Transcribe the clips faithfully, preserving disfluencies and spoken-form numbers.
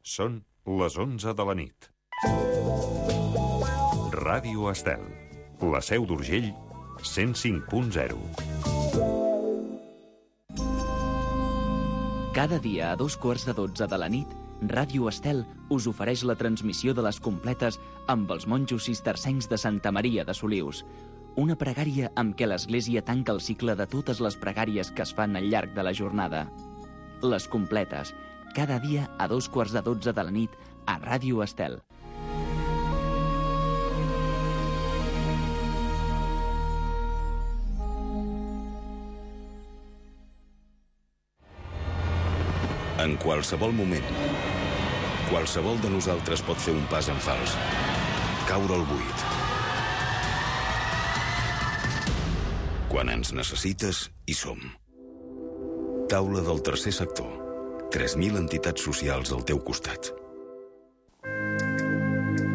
Són les onze de la nit. Ràdio Estel, la Seu d'Urgell, cent cinc punt zero. Cada dia a dos quarts de dotze de la nit, Ràdio Estel us ofereix la transmissió de les completes amb els monjos cistercencs de Santa Maria de Solius. Una pregària amb què l'Església tanca el cicle de totes les pregàries que es fan al llarg de la jornada. Les completes, cada dia a dos quarts de dotze de la nit a Ràdio Estel. En qualsevol moment, qualsevol de nosaltres pot fer un pas en fals, caure al buit. Quan ens necessites, hi som. Taula del tercer sector. tres mil entitats socials al teu costat.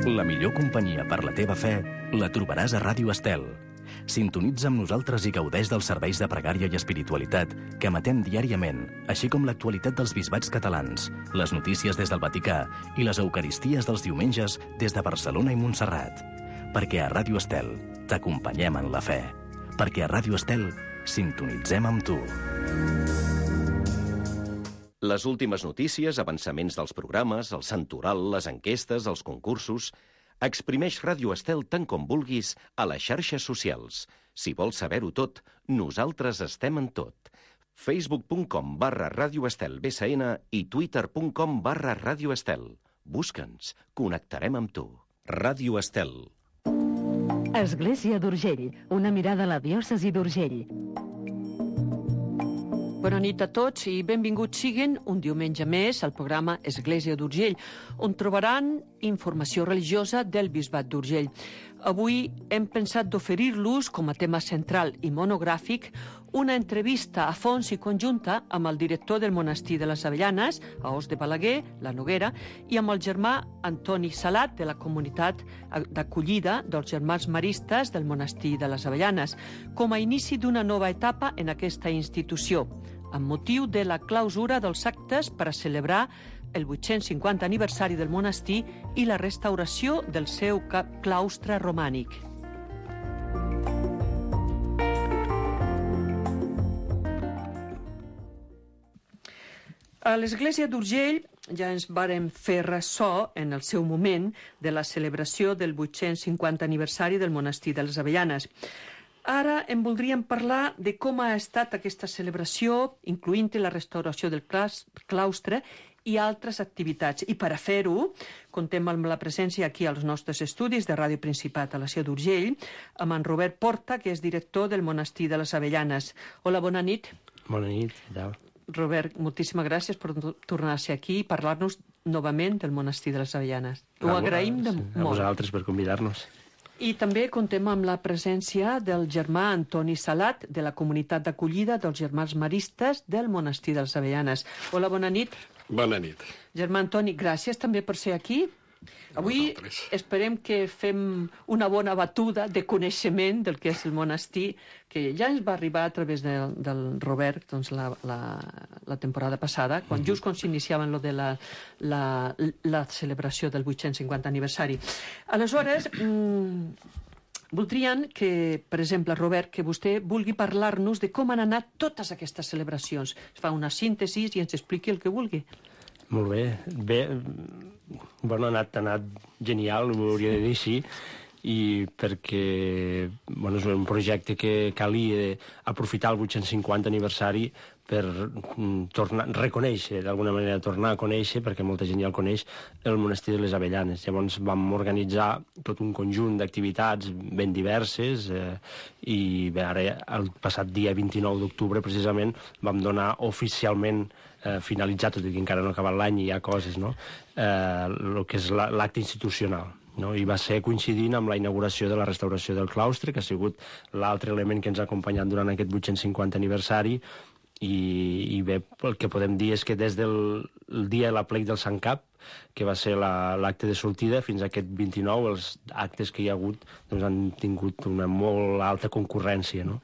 La millor companyia per la teva fe la trobaràs a Ràdio Estel. Sintonitza amb nosaltres i gaudeix dels serveis de pregària i espiritualitat que emetem diàriament, així com l'actualitat dels bisbats catalans, les notícies des del Vaticà i les eucaristies dels diumenges des de Barcelona i Montserrat. Perquè a Ràdio Estel t'acompanyem en la fe. Perquè a Ràdio Estel sintonitzem amb tu. Les últimes notícies, avançaments dels programes, el santoral, les enquestes, els concursos... Exprimeix Ràdio Estel tant com vulguis a les xarxes socials. Si vols saber-ho tot, nosaltres estem en tot. facebook punt com barra Ràdio Estel B S N i twitter punt com barra Ràdio Estel. Busca'ns, connectarem amb tu. Ràdio Estel. Església d'Urgell, una mirada a la diòcesi d'Urgell. Bona nit a tots i benvinguts siguin un diumenge més al programa Església d'Urgell, on trobaran informació religiosa del Bisbat d'Urgell. Avui hem pensat d'oferir-los, com a tema central i monogràfic, una entrevista a fons i conjunta amb el director del monestir de les Avellanes, a Os de Balaguer, la Noguera, i amb el germà Antoni Salat, de la comunitat d'acollida dels germans maristes del monestir de les Avellanes, com a inici d'una nova etapa en aquesta institució, amb motiu de la clausura dels actes per a celebrar el vuit-cents cinquanta aniversari del monestir i la restauració del seu claustre romànic. A l'Església d'Urgell ja ens vàrem fer ressò en el seu moment de la celebració del vuit-cents cinquanta aniversari del monestir de les Avellanes. Ara en voldríem parlar de com ha estat aquesta celebració, incloent-hi la restauració del claustre i altres activitats. I per a fer-ho, contem amb la presència aquí als nostres estudis de Ràdio Principat a la Seu d'Urgell, amb en Robert Porta, que és director del monestir de les Avellanes. Hola, bona nit. Bona nit, què tal? Robert, moltíssimes gràcies per tornar a ser aquí i parlar-nos novament del monestir de les Avellanes. Ho agraïm de molt. A vosaltres per convidar-nos. I també contem amb la presència del germà Antoni Salat, de la comunitat d'acollida dels germans maristes del monestir de les Avellanes. Hola, bona nit. Bona nit. Germà Antoni, gràcies també per ser aquí. Avui esperem que fem una bona batuda de coneixement del que és el monestir, que ja ens va arribar a través de, del Robert doncs, la, la, la temporada passada, quan just quan s'iniciaven lo de la, la, la celebració del vuit-cents cinquanta aniversari. Aleshores, mmm, voldrien que, per exemple, Robert, que vostè vulgui parlar-nos de com han anat totes aquestes celebracions. Es fa una síntesi i ens expliqui el que vulgui. Molt bé. Bé, bueno, ha anat, ha anat genial, ho hauria de dir així, i perquè bueno, és un projecte que calia aprofitar el vuit-cents cinquanta aniversari per tornar, reconèixer, d'alguna manera, tornar a conèixer, perquè molta gent ja el coneix, el monestir de les Avellanes. Llavors vam organitzar tot un conjunt d'activitats ben diverses eh, i bé, ara, el passat dia vint-i-nou d'octubre, precisament, vam donar oficialment eh, finalitzat, tot i que encara no ha acabat l'any i hi ha coses, no? Eh, el que és l'acte institucional. No? I va ser coincidint amb la inauguració de la restauració del claustre, que ha sigut l'altre element que ens ha acompanyat durant aquest vuit-cents cinquanta aniversari, i, i bé, el que podem dir és que des del el dia de l'aplec del Sant Cap, que va ser l'acte de sortida, fins a aquest vint-i-nou, els actes que hi ha hagut doncs, han tingut una molt alta concurrència, no?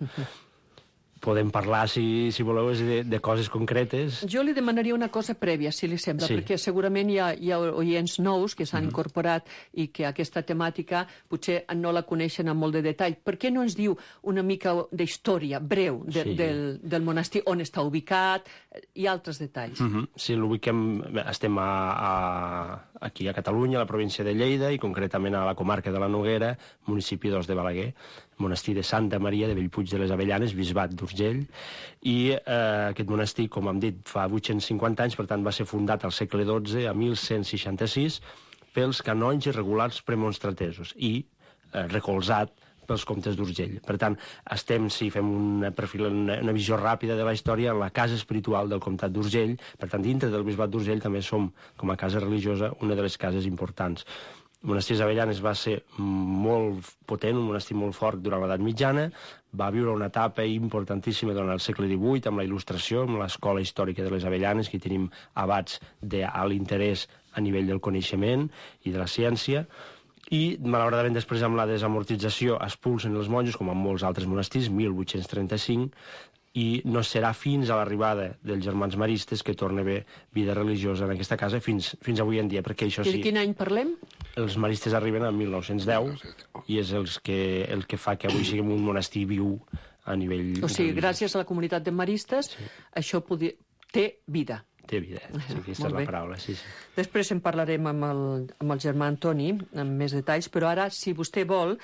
podem parlar, si, si voleu, de, de coses concretes. Jo li demanaria una cosa prèvia, si li sembla, Sí. perquè segurament hi ha, hi ha oients nous que s'han Mhm. incorporat i que aquesta temàtica potser no la coneixen amb molt de detall. Per què no ens diu una mica d'història breu de, Sí. del, del monestir, on està ubicat i altres detalls? Mm -hmm. Si l'ubiquem, estem a, a, aquí a Catalunya, a la província de Lleida, i concretament a la comarca de la Noguera, municipi d'Os de Balaguer, monestir de Santa Maria de Bellpuig de les Avellanes, bisbat d'Urgell, i eh, aquest monestir, com hem dit, fa vuit-cents cinquanta anys, per tant va ser fundat al segle dotze, a mil cent seixanta-sis, pels canonges regulars premonstratesos i eh, recolzat pels comtes d'Urgell. Per tant, estem, si fem una, perfil, una, una visió ràpida de la història, en la casa espiritual del comtat d'Urgell. Per tant, dintre del bisbat d'Urgell també som, com a casa religiosa, una de les cases importants. El monestir d'Avellanes va ser molt potent, un monestir molt fort durant l'edat mitjana, va viure una etapa importantíssima durant el segle divuit, amb la il·lustració, amb l'escola històrica de les Avellanes, que tenim abats d'alt interès a nivell del coneixement i de la ciència, i malauradament després amb la desamortització expulsen els monjos, com en molts altres monestirs, mil vuit-cents trenta-cinc, i no serà fins a l'arribada dels germans maristes que torna a haver vida religiosa en aquesta casa fins, fins avui en dia, perquè això I sí... de quin any parlem? Els maristes arriben a mil nou-cents deu i és els que, el que fa que avui siguem un monestir viu a nivell... O sigui, religiós. gràcies a la comunitat de maristes, sí. això podi... té vida. Té vida, sí, aquesta és la paraula, sí, sí. Després en parlarem amb el, amb el germà Antoni, amb més detalls, però ara, si vostè vol,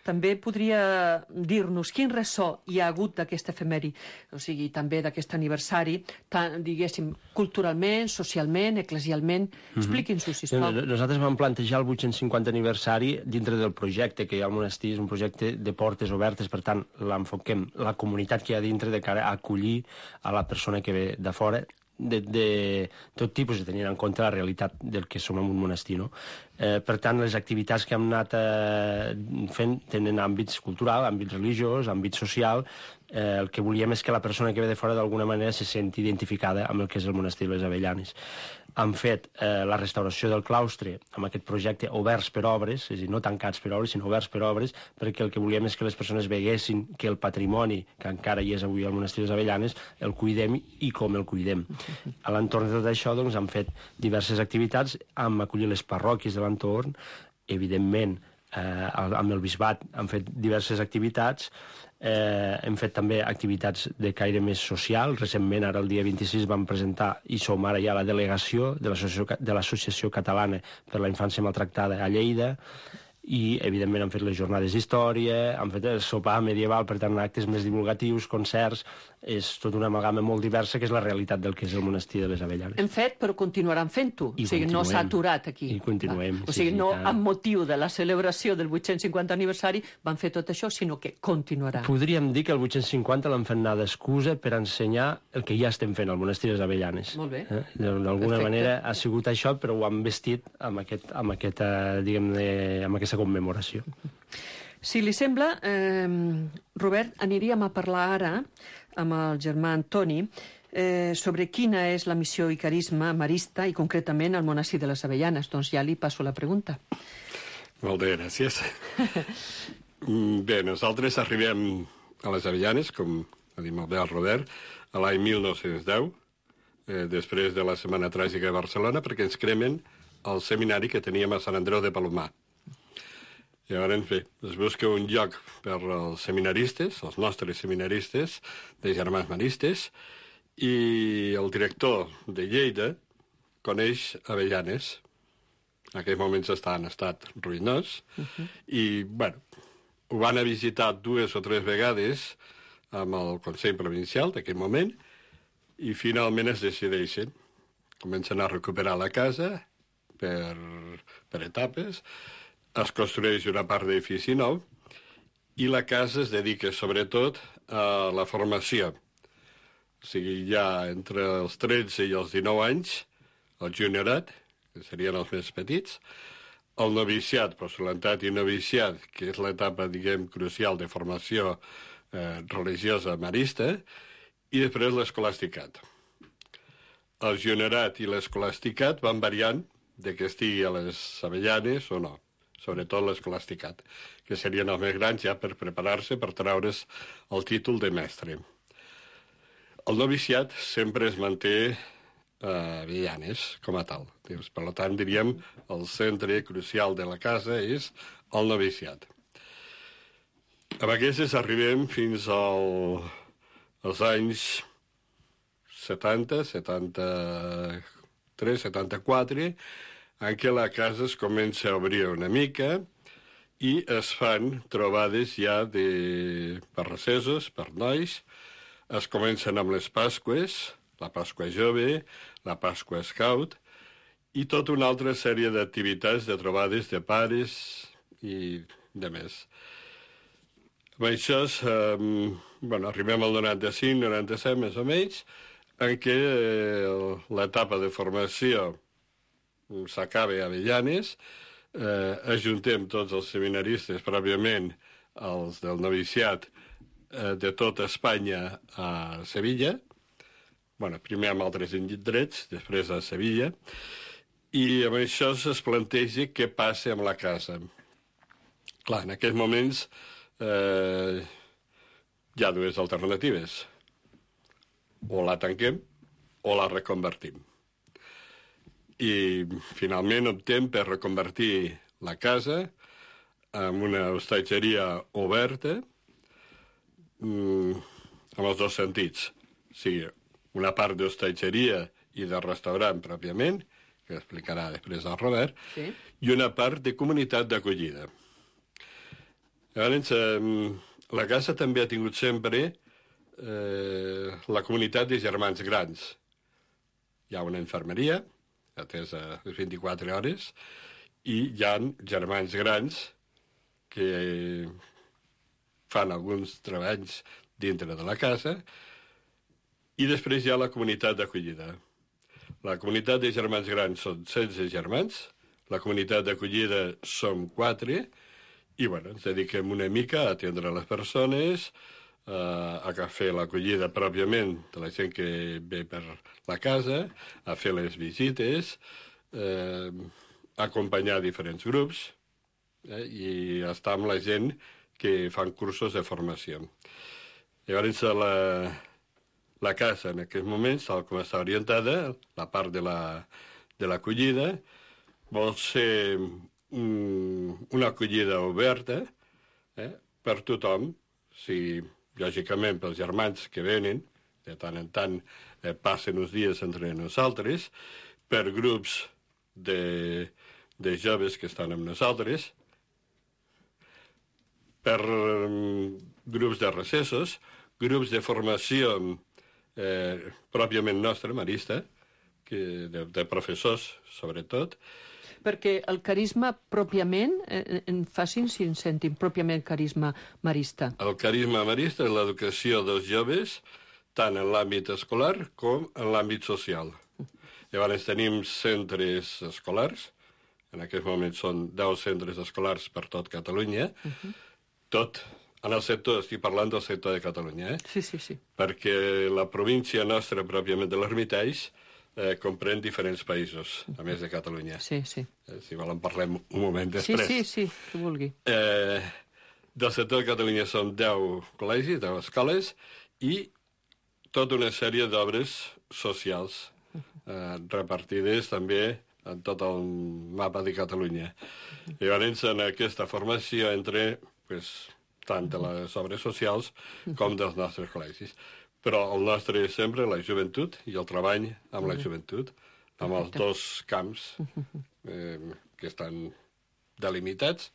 també podria dir-nos quin ressò hi ha hagut d'aquest efemèri, o sigui, també d'aquest aniversari, tant, diguéssim, culturalment, socialment, eclesialment. Expliqui'ns-ho, sisplau. Nosaltres vam plantejar el vuit-cents cinquanta aniversari dintre del projecte que hi ha al monestir, és un projecte de portes obertes, per tant, l'enfoquem, la comunitat que hi ha dintre de cara a acollir a la persona que ve de fora, de, de tot tipus, i tenint en compte la realitat del que som en un monestir, no? Eh, per tant, les activitats que hem anat eh, fent tenen àmbits cultural, àmbit religiós, àmbit social. Eh, el que volíem és que la persona que ve de fora d'alguna manera se senti identificada amb el que és el monestir de les Avellanes. Han fet eh, la restauració del claustre amb aquest projecte oberts per obres, és a dir, no tancats per obres, sinó oberts per obres, perquè el que volíem és que les persones veguessin que el patrimoni, que encara hi és avui al monestir de les Avellanes, el cuidem i com el cuidem. A l'entorn de tot això, doncs, han fet diverses activitats, han acollit les parròquies de l'entorn, evidentment, eh, amb el bisbat han fet diverses activitats, eh, hem fet també activitats de caire més social. Recentment, ara el dia vint-i-sis, vam presentar, i som ara ja la delegació de l'Associació Catalana per la Infància Maltractada a Lleida, i evidentment han fet les jornades d'història, han fet el sopar medieval, per tant actes més divulgatius, concerts. És tota una amalgama molt diversa, que és la realitat del que és el monestir de les Avellanes. Hem fet, però continuaran fent-ho. O sigui, no s'ha aturat aquí. I continuem. O sigui, sí, no sí, amb motiu de la celebració del vuit-cents cinquanta aniversari van fer tot això, sinó que continuarà. Podríem dir que el vuit-cents cinquanta l'han fet anar d'excusa per ensenyar el que ja estem fent al monestir de les Avellanes. Molt bé. Eh? D'alguna manera ha sigut això, però ho han vestit amb, aquest, amb, aquesta, diguem-ne, amb aquesta commemoració. Si li sembla, eh, Robert, aniríem a parlar ara amb el germà Antoni eh, sobre quina és la missió i carisma marista i concretament al monestir de les Avellanes. Doncs ja li passo la pregunta. Molt bé, gràcies. Bé, nosaltres arribem a les Avellanes, com ha dit molt bé el Robert, a l'any mil nou-cents deu, eh, després de la Setmana Tràgica de Barcelona, perquè ens cremen el seminari que teníem a Sant Andreu de Palomar. Llavors, bé, es busca un lloc per als seminaristes, els nostres seminaristes, de germans maristes, i el director de Lleida coneix Avellanes. En aquells moments està en estat ruïnós, uh-huh. i, bueno, ho van a visitar dues o tres vegades amb el Consell Provincial d'aquell moment, i finalment es decideixen. Comencen a recuperar la casa per, per etapes, es construeix una part d'edifici nou, i la casa es dedica sobretot a la formació. O sigui, ja entre els tretze i els dinou anys, el juniorat, que serien els més petits, el noviciat, postulantat i noviciat, que és l'etapa, diguem, crucial de formació eh, religiosa marista, i després l'escolasticat. El juniorat i l'escolasticat van variant de que estigui a les Avellanes o no, sobretot l'escolasticat, que serien els més grans ja per preparar-se per treure's el títol de mestre. El noviciat sempre es manté a Avellanes, com a tal. Per tant, diríem, el centre crucial de la casa és el noviciat. Amb aquestes arribem fins al, als anys setanta, setanta-tres, setanta-quatre, en què la casa es comença a obrir una mica i es fan trobades ja de, per recessos, per nois. Es comencen amb les Pasques, la Pasqua Jove, la Pasqua Scout, i tota una altra sèrie d'activitats, de trobades de pares i de més. Amb això, eh, bueno, arribem al noranta-cinc, noranta-set, més o menys, en què eh, l'etapa de formació s'acaba a Avellanes, eh, ajuntem tots els seminaristes, pròpiament els del noviciat, eh, de tota Espanya a Sevilla, bueno, primer amb altres indrets, després a Sevilla, i amb això es planteja què passa amb la casa. Clar, en aquests moments eh, hi ha dues alternatives. O la tanquem o la reconvertim. I finalment optem per reconvertir la casa en una hostatgeria oberta, mm, en els dos sentits. O sigui, una part d'hostatgeria i de restaurant pròpiament, que explicarà després el Robert, sí, i una part de comunitat d'acollida. Llavors, eh, la casa també ha tingut sempre eh, la comunitat de germans grans. Hi ha una infermeria, atesa les vint-i-quatre hores, i hi ha germans grans que fan alguns treballs dintre de la casa, i després hi ha la comunitat d'acollida. La comunitat de germans grans són setze germans, la comunitat d'acollida som quatre, i bueno, ens dediquem una mica a atendre les persones, eh, a fer l'acollida pròpiament de la gent que ve per la casa, a fer les visites, eh, acompanyar diferents grups, eh, i estar amb la gent que fan cursos de formació. Llavors, la, la casa en aquests moments, tal com està orientada, la part de l'acollida, la, vol ser una acollida oberta, eh, per tothom, si, lògicament pels germans que venen, de tant en tant eh, passen uns dies entre nosaltres, per grups de, de joves que estan amb nosaltres, per um, grups de recessos, grups de formació eh, pròpiament nostra, marista, que, de, de professors, sobretot. Perquè el carisma pròpiament, eh, en facin si en sentim, pròpiament carisma marista. El carisma marista és l'educació dels joves, tant en l'àmbit escolar com en l'àmbit social. Llavors tenim centres escolars, en aquest moment són deu centres escolars per tot Catalunya, uh-huh. Tot en el sector, estic parlant del sector de Catalunya, eh? Sí, sí, sí. Perquè la província nostra, pròpiament de l'Hermitage, Eh, comprèn diferents països, a més de Catalunya. Sí, sí. Eh, si volen parlem un moment després. Sí, sí, sí, que vulgui. Eh, del sector de Catalunya són deu col·legis, deu escoles, i tota una sèrie d'obres socials eh, repartides també en tot el mapa de Catalunya. Llavors, en aquesta formació entre pues, tant de les obres socials com dels nostres col·legis. Però el nostre és sempre la joventut i el treball amb la joventut, amb els dos camps eh, que estan delimitats,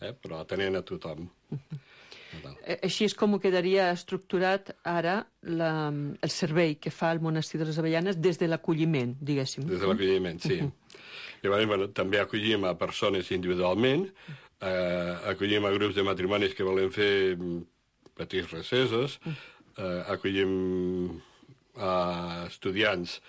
eh, però atenent a tothom. Així és com quedaria estructurat ara la, el servei que fa el Monestir de les Avellanes des de l'acolliment, diguéssim. Des de l'acolliment, sí. Llavors, bueno, també acollim a persones individualment, eh, acollim a grups de matrimonis que volen fer petits recessos, Uh, acollim a estudiants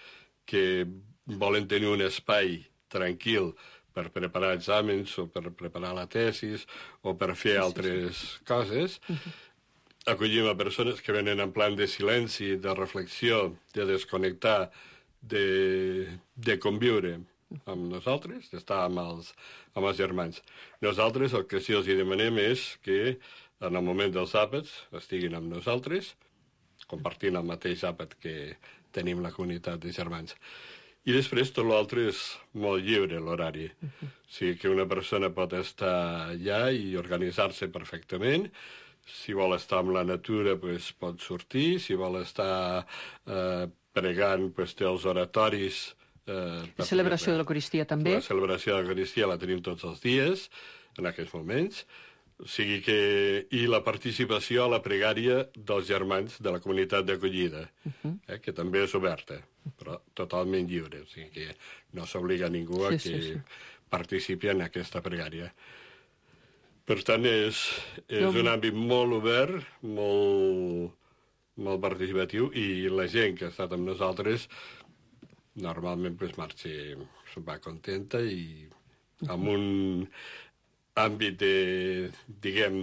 que volen tenir un espai tranquil per preparar exàmens o per preparar la tesis o per fer sí, altres sí, sí. coses. Uh-huh. Acollim a persones que venen en plan de silenci, de reflexió, de desconnectar, de, de conviure amb nosaltres, d'estar amb els, amb els germans. Nosaltres el que sí els demanem és que en el moment dels àpats estiguin amb nosaltres, compartint el mateix àpat que tenim la comunitat de germans. I després tot l'altre és molt lliure, l'horari. Uh-huh. O sigui que una persona pot estar allà i organitzar-se perfectament. Si vol estar amb la natura, pues, pot sortir. Si vol estar eh, pregant, pues, té els oratoris. Eh, la celebració de l'Eucaristia també. La celebració de l'Eucaristia la tenim tots els dies, en aquests moments. O sigui que... I la participació a la pregària dels germans de la comunitat d'acollida, uh-huh. eh, que també és oberta, però totalment lliure. O sigui que no s'obliga a ningú a sí, que sí, sí. participi en aquesta pregària. Per tant, és, és no. un àmbit molt obert, molt, molt participatiu, i la gent que ha estat amb nosaltres normalment pues, marxa, se'n va contenta i amb un àmbit de, diguem,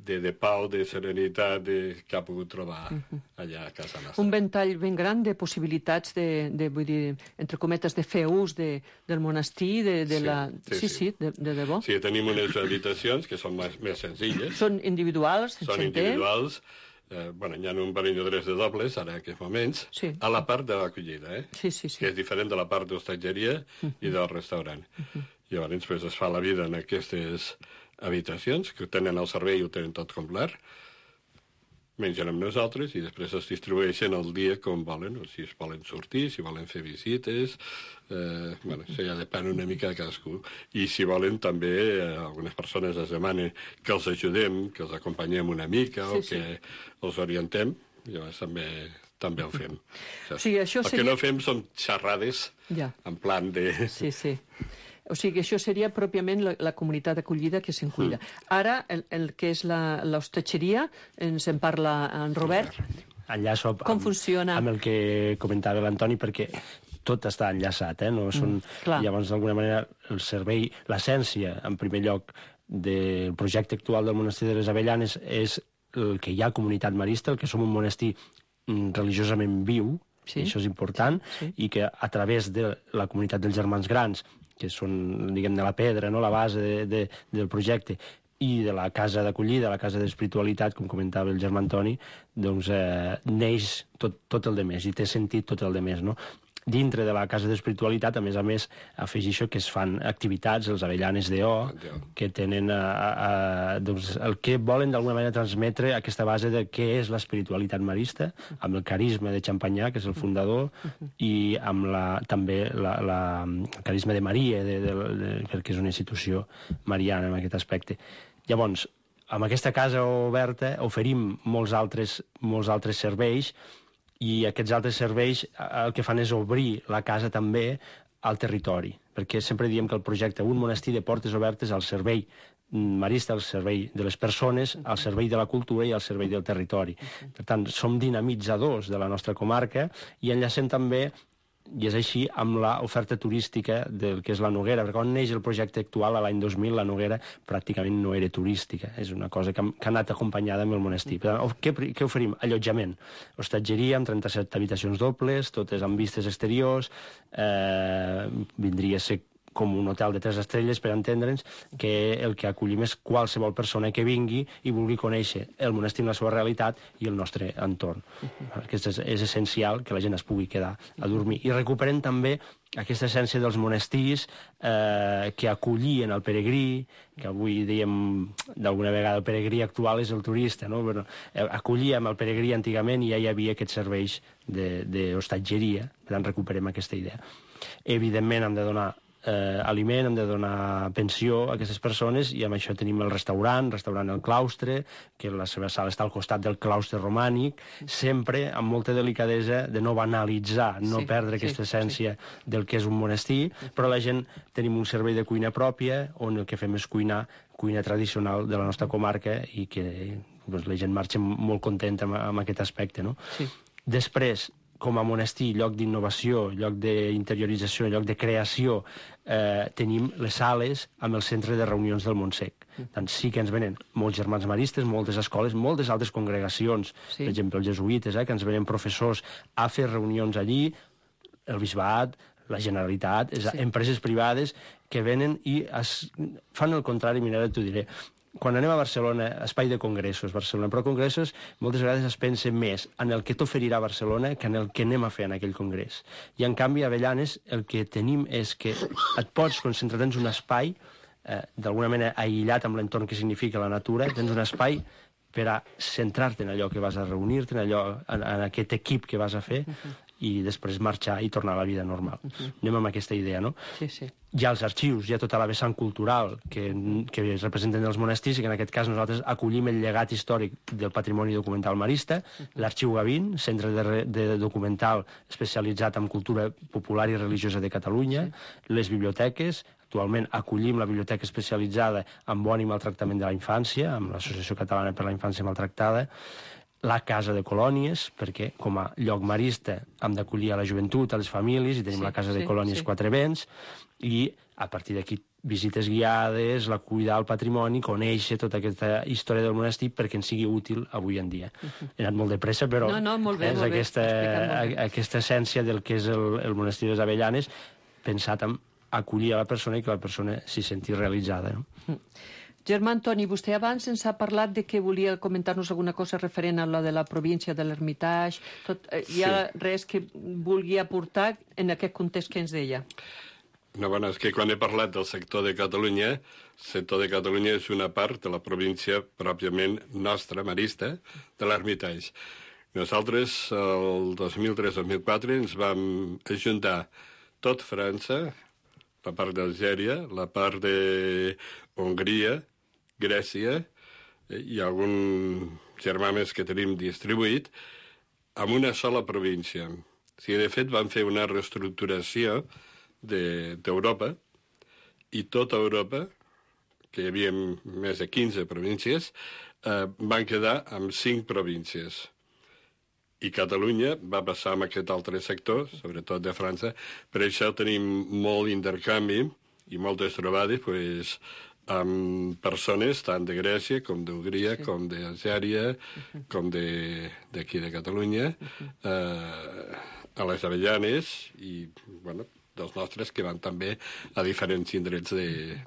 de, de pau, de serenitat de, que ha pogut trobar allà a casa nostra. Un ventall ben gran de possibilitats de, de vull dir, entre cometes, de fer ús de, del monestir, de, de sí, la... Sí, sí, sí de, de debò. Sí, tenim unes habitacions que són més, més senzilles. Són individuals, Són individuals. Eh, bueno, hi ha un parell de drets de dobles, ara en aquests moments, sí. a la part de l'acollida, eh? Sí, sí, sí. Que és diferent de la part d'hostatgeria uh-huh. i del restaurant. Uh-huh. Llavors, pues, es fa la vida en aquestes habitacions, que tenen el servei i ho tenen tot complet, mengen amb nosaltres i després es distribueixen el dia com volen, o si es volen sortir, si volen fer visites, eh, bueno, això ja depèn una mica de cadascú. I si volen també, eh, algunes persones es demanen que els ajudem, que els acompanyem una mica sí, o que sí. els orientem, llavors també... també ho fem. O sigui, això el seria... que no fem són xerrades ja. en plan de... Sí, sí. O sigui, això seria pròpiament la, la comunitat acollida que se'n cuida. Mm. Ara, el, el que és l'hostatgeria, ens en parla en Robert. Enllaço amb, Com funciona? amb el que comentava l'Antoni, perquè tot està enllaçat, eh? No són, mm, llavors, d'alguna manera, el servei, l'essència, en primer lloc, del projecte actual del monestir de les Avellanes és el que hi ha comunitat marista, el que som un monestir religiosament viu, sí. això és important, sí. i que a través de la comunitat dels germans grans, que són, diguem, de la pedra, no?, la base de, de, del projecte, i de la casa d'acollida, la casa d'espiritualitat, com comentava el germà Antoni, doncs eh, neix tot, tot el de més, i té sentit tot el de més, no? Dintre de la casa d'espiritualitat, a més a més, afegixo que es fan activitats, els Avellanes d'O, que tenen a, a, a, doncs, el que volen d'alguna manera transmetre aquesta base de què és l'espiritualitat marista, amb el carisma de Champagnat, que és el fundador, i amb la, també la, la, el carisma de Maria, de, de, de, perquè és una institució mariana en aquest aspecte. Llavors, amb aquesta casa oberta oferim molts altres, molts altres serveis, i aquests altres serveis el que fan és obrir la casa també al territori, perquè sempre diem que el projecte Un monestir de portes obertes al servei marista, al servei de les persones, al servei de la cultura i al servei del territori. Per tant, som dinamitzadors de la nostra comarca i enllacem també, i és així, amb l'oferta turística del que és la Noguera, perquè quan neix el projecte actual, a l'any dos mil, la Noguera pràcticament no era turística, és una cosa que, que ha anat acompanyada amb el monestir. Per tant, què, què oferim? Allotjament, hostatgeria amb trenta-set habitacions dobles, totes amb vistes exteriors, eh, vindria a ser com un hotel de tres estrelles, per entendre'ns, que el que acollim és qualsevol persona que vingui i vulgui conèixer el monestir en la seva realitat i el nostre entorn. Perquè és, és essencial que la gent es pugui quedar a dormir. I recuperem també aquesta essència dels monestirs eh, que acollien el peregrí, que avui diem d'alguna vegada el peregrí actual és el turista, no? Però, eh, acollíem el peregrí antigament i ja hi havia aquests serveis d'hostatgeria, per tant recuperem aquesta idea. Evidentment hem de donar Eh, aliment, hem de donar pensió a aquestes persones i amb això tenim el restaurant, restaurant El Claustre, que la seva sala està al costat del claustre romànic, sempre amb molta delicadesa de no banalitzar, no sí, perdre sí, aquesta essència sí. del que és un monestir, però la gent tenim un servei de cuina pròpia on el que fem és cuinar, cuina tradicional de la nostra comarca i que doncs, la gent marxa molt contenta amb, amb aquest aspecte, no? Sí. Després, com a monestir, lloc d'innovació, lloc d'interiorització, lloc de creació, eh, tenim les sales amb el centre de reunions del Montsec. Tant sí que ens venen molts germans maristes, moltes escoles, moltes altres congregacions, sí. per exemple, els jesuïtes, eh, que ens venen professors a fer reunions allí, el bisbat, la Generalitat, sí. empreses privades que venen i es fan el contrari, mira, t'ho diré, quan anem a Barcelona, espai de congressos, Barcelona, però congressos moltes vegades es pensa més en el que t'oferirà Barcelona que en el que anem a fer en aquell congrés. I en canvi a Avellanes el que tenim és que et pots concentrar, tens un espai, eh, d'alguna manera aïllat amb l'entorn que significa la natura, tens un espai per a centrar-te en allò que vas a reunir-te, en, allò, en, en aquest equip que vas a fer, i després marxar i tornar a la vida normal. Uh-huh. Anem amb aquesta idea, no? Sí, sí. Hi ha els arxius, hi ha tota la vessant cultural que, que es representen els monestirs i que en aquest cas nosaltres acollim el llegat històric del patrimoni documental marista, uh-huh. l'Arxiu Gavín, centre de, de documental especialitzat en cultura popular i religiosa de Catalunya, sí. les biblioteques, actualment acollim la biblioteca especialitzada en bon i maltractament de la infància, amb l'Associació Catalana per la Infància Maltractada, la Casa de Colònies, perquè com a lloc marista hem d'acollir a la joventut, a les famílies, i tenim sí, la Casa sí, de Colònies sí. Quatre Vents, i a partir d'aquí visites guiades, la cuidar el patrimoni, conèixer tota aquesta història del monestir perquè ens sigui útil avui en dia. Uh-huh. He anat molt de pressa, però no, no, molt bé, és molt aquesta, bé. aquesta essència del que és el, el monestir de les Avellanes, pensat en acollir a la persona i que la persona s'hi senti realitzada. No? Uh-huh. Germà Antoni, vostè abans ens ha parlat de que volia comentar-nos alguna cosa referent a la de la província de l'Hermitage. Tot, eh, hi ha sí. res que vulgui aportar en aquest context que ens deia? No, bueno, és que quan he parlat del sector de Catalunya, el sector de Catalunya és una part de la província pròpiament nostra, marista, de l'Hermitage. Nosaltres, el dos mil tres dos mil quatre, ens vam ajuntar tot França, la part d'Algèria, la part de Hongria, Grècia i algun germà més que tenim distribuït en una sola província. O sigui, de fet, van fer una reestructuració d'Europa i tota Europa, que hi havia més de quinze províncies, eh, van quedar amb cinc províncies. I Catalunya va passar amb aquest altre sector, sobretot de França. Per això tenim molt intercanvi i moltes trobades pues, amb persones tant de Grècia com d'Hongria, sí. com d'Algèria, uh-huh. com d'aquí de, de Catalunya, uh-huh. eh, a les Avellanes i, bueno, dels nostres que van també a diferents indrets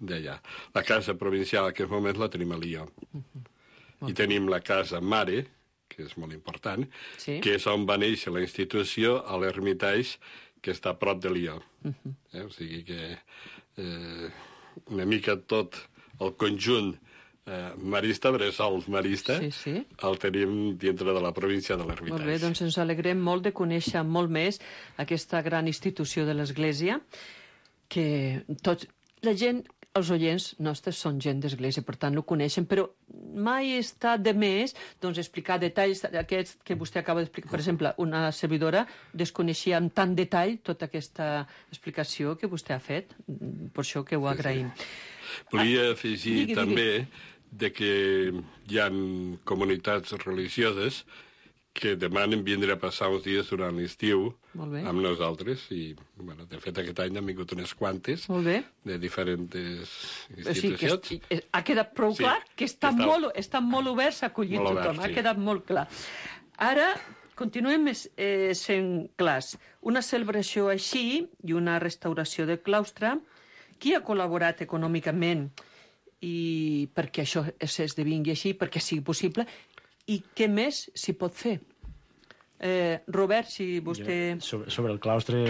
d'allà. La casa provincial en aquest moment la tenim a Lió. Uh-huh. I tenim la casa mare, que és molt important, sí. que és on va néixer la institució a l'Hermitage, que està a prop de Lió. Uh-huh. eh? O sigui que eh, una mica tot el conjunt eh, marista, bressol marista, sí, sí. el tenim dintre de la província de l'Hermitage. Molt bé, doncs ens alegrem molt de conèixer molt més aquesta gran institució de l'Església, que tots, la gent, els oients nostres són gent d'Església, per tant, no coneixen, però mai està de més doncs, explicar detalls aquests que vostè acaba d'explicar. Per exemple, una servidora desconeixia amb tant detall tota aquesta explicació que vostè ha fet, per això que ho agraïm. Sí, sí. Volia afegir ah, digui, també digui. de que hi ha comunitats religioses que demanen vindre a passar uns dies durant l'estiu amb nosaltres i, bueno, de fet, aquest any han vingut unes quantes de diferents institucions. O sigui, que ha quedat prou sí, clar que està, està, molt, està molt oberts a acollir tothom, obert, sí. ha quedat molt clar. Ara, continuem eh, sent clars. Una celebració així i una restauració del claustre, qui ha col·laborat econòmicament i perquè això s'esdevingui així, perquè sigui possible, i què més s'hi pot fer? Eh, Robert, si vostè... Jo, sobre, sobre el claustre,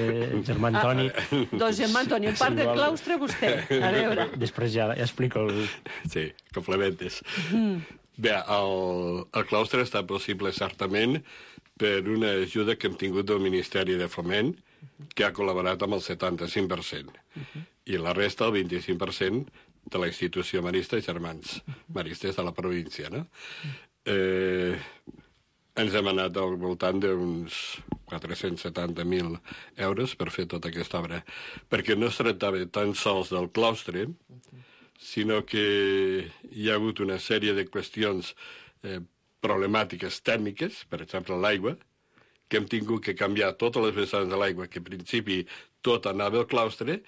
germà Antoni... Ah, doncs germà Antoni, en part sí, del claustre vostè. A veure. Després ja, ja explico el... Sí, complementes. Mm. Bé, el, el claustre està possible certament per una ajuda que hem tingut del Ministeri de Foment, que ha col·laborat amb el setanta-cinc per cent. Uh-huh. I la resta, el vint-i-cinc per cent, de la institució marista i germans maristes de la província, no? Eh, ens hem anat al voltant d'uns quatre-cents setanta mil euros per fer tota aquesta obra, perquè no es tractava tan sols del claustre, sinó que hi ha hagut una sèrie de qüestions eh, problemàtiques tècniques, per exemple l'aigua, que hem tingut que canviar totes les vessants de l'aigua, que en principi tot anava al claustre,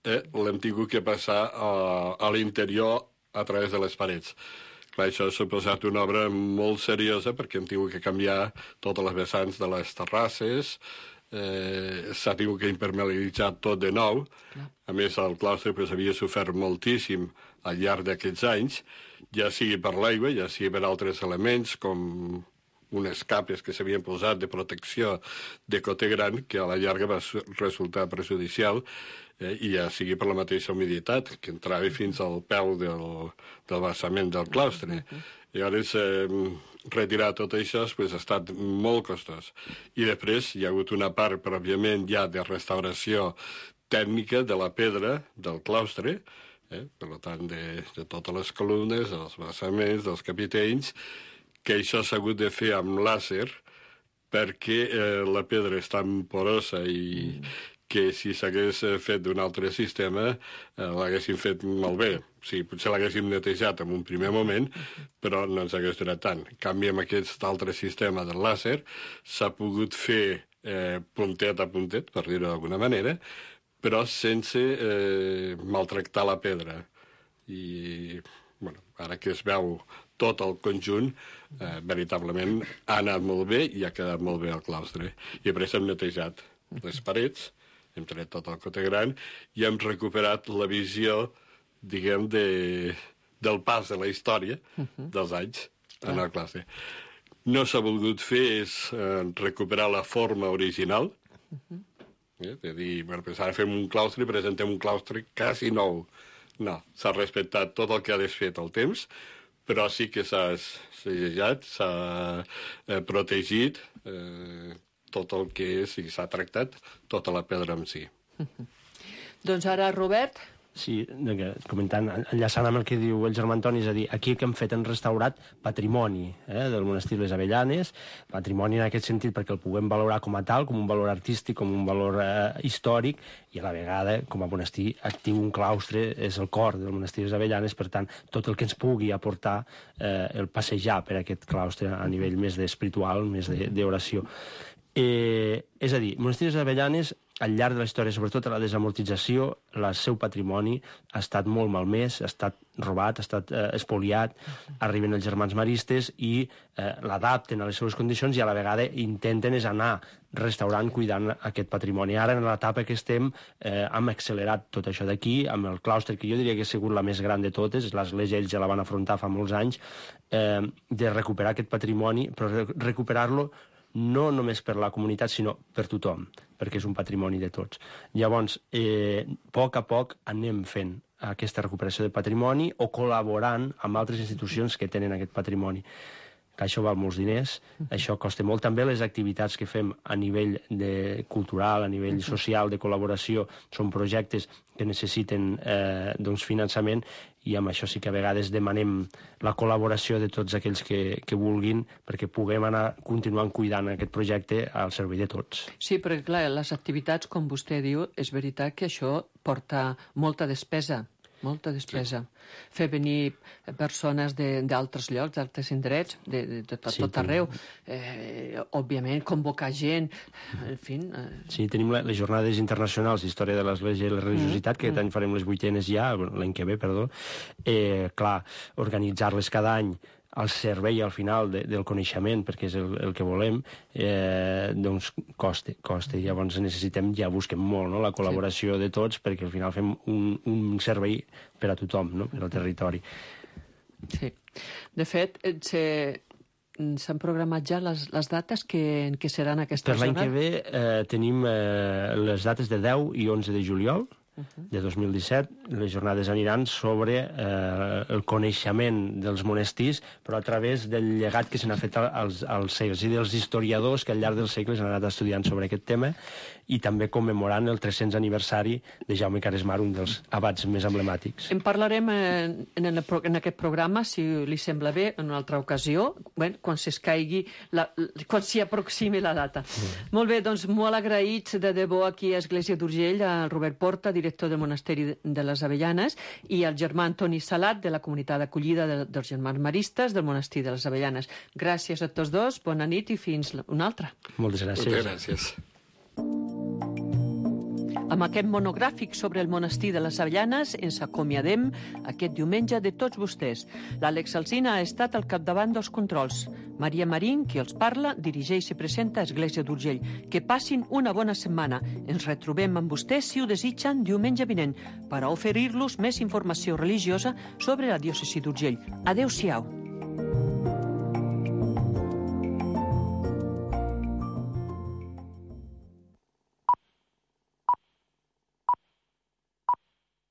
eh, l'hem tingut que passar a, a l'interior a través de les parets. Clar, això ha suposat una obra molt seriosa perquè hem tingut que canviar totes les vessants de les terrasses, eh, s'ha tingut que impermeabilitzar tot de nou. Clar. A més, el claustre pues, havia sofert moltíssim al llarg d'aquests anys, ja sigui per l'aigua, ja sigui per altres elements, com unes capes que s'havien posat de protecció de cote gran, que a la llarga va resultar perjudicial, eh, i ja sigui per la mateixa humiditat, que entrava fins al peu del, del vessament del claustre. Llavors, eh, retirar tot això pues, ha estat molt costós. I després hi ha hagut una part, pròpiament, ja de restauració tècnica de la pedra del claustre, eh, per tant, de, de totes les columnes, dels vessaments, dels capitells, que això s'ha hagut de fer amb làser perquè eh, la pedra és tan porosa i mm. que si s'hagués fet d'un altre sistema eh, l'haguéssim fet molt bé. O sigui, potser l'haguéssim netejat en un primer moment, però no ens hagués durat tant. En canvi, amb aquest altre sistema del làser s'ha pogut fer eh, puntet a puntet, per dir-ho d'alguna manera, però sense eh, maltractar la pedra. I bueno, ara que es veu tot el conjunt, eh, veritablement ha anat molt bé i ha quedat molt bé el claustre. I després hem netejat les parets, hem tret tot el cote gran i hem recuperat la visió, diguem, de, del pas de la història dels anys en el claustre. No s'ha volgut fer és eh, recuperar la forma original, eh, de dir, bueno, pues ara fem un claustre i presentem un claustre quasi nou. No, s'ha respectat tot el que ha desfet el temps, però sí que s'ha segellat, s'ha eh, protegit eh, tot el que és i s'ha tractat tota la pedra en si. Doncs ara, Robert... Sí, comentant, enllaçant amb el que diu el germà Antoni, és a dir, aquí el que hem fet hem restaurat patrimoni eh, del monestir Les Avellanes, patrimoni en aquest sentit perquè el puguem valorar com a tal, com un valor artístic, com un valor eh, històric, i a la vegada, com a monestir actiu, un claustre és el cor del monestir Les Avellanes, per tant, tot el que ens pugui aportar eh, el passejar per aquest claustre a nivell més espiritual, més d'oració. Eh, és a dir, Monestir Les Avellanes, al llarg de la història, sobretot a la desamortització, el seu patrimoni ha estat molt malmès, ha estat robat, ha estat eh, espoliat, arriben els germans maristes i eh, l'adapten a les seves condicions i a la vegada intenten és anar restaurant, cuidant aquest patrimoni. Ara, en l'etapa que estem, eh, hem accelerat tot això d'aquí, amb el claustre, que jo diria que ha sigut la més gran de totes, l'església ells ja la van afrontar fa molts anys, eh, de recuperar aquest patrimoni, però recuperar-lo no només per la comunitat, sinó per tothom, perquè és un patrimoni de tots. Llavors, eh, a poc a poc anem fent aquesta recuperació de patrimoni o col·laborant amb altres institucions que tenen aquest patrimoni. Que això val molts diners, això costa molt. També les activitats que fem a nivell de cultural, a nivell social, de col·laboració, són projectes que necessiten eh, doncs, finançament, i amb això sí que a vegades demanem la col·laboració de tots aquells que, que vulguin perquè puguem anar continuant cuidant aquest projecte al servei de tots. Sí, perquè clar, les activitats, com vostè diu, és veritat que això porta molta despesa, molta despesa. Sí. Fer venir persones d'altres llocs, d'altres indrets, de, de, de tot, sí, tot arreu. Eh, òbviament, convocar gent, en fi... Eh. Sí, tenim les jornades internacionals d'història de l'Església i la religiositat, mm. que aquest any farem les vuitenes ja, l'any que ve, perdó. Eh, clar, organitzar-les cada any al servei, al final, de, del coneixement, perquè és el, el que volem, eh, doncs costa, costa. Llavors necessitem, ja busquem molt, no?, la col·laboració sí. de tots, perquè al final fem un, un servei per a tothom, no?, per al territori. Sí. De fet, s'han programat ja les, les dates que, que seran aquestes per l'any que ve eh, tenim eh, les dates de deu i onze de juliol, de dos mil disset, les jornades aniran sobre eh, el coneixement dels monestirs, però a través del llegat que se n'ha fet als, als segles i dels historiadors que al llarg dels segles han anat estudiant sobre aquest tema, i també commemorant el tres-cents aniversari de Jaume Caresmar, un dels abats més emblemàtics. En parlarem en, en, el, en aquest programa, si li sembla bé, en una altra ocasió, bueno, quan s'escaigui, la, quan s'hi aproximi la data. Mm. Molt bé, doncs molt agraïts de debò aquí a Església d'Urgell, al Robert Porta, director del Monasteri de les Avellanes, i al germà Antoni Salat, de la comunitat d'acollida de, dels germans maristes del Monestir de les Avellanes. Gràcies a tots dos, bona nit i fins una altra. Moltes gràcies. Moltes gràcies. Amb aquest monogràfic sobre el monestir de les Avellanes ens acomiadem aquest diumenge de tots vostès. L'Àlex Alsina ha estat al capdavant dels controls. Maria Marín, qui els parla, dirigeix i presenta Església d'Urgell. Que passin una bona setmana. Ens retrobem amb vostès, si ho desitgen, diumenge vinent, per a oferir-los més informació religiosa sobre la diòcesi d'Urgell. Adéu-siau.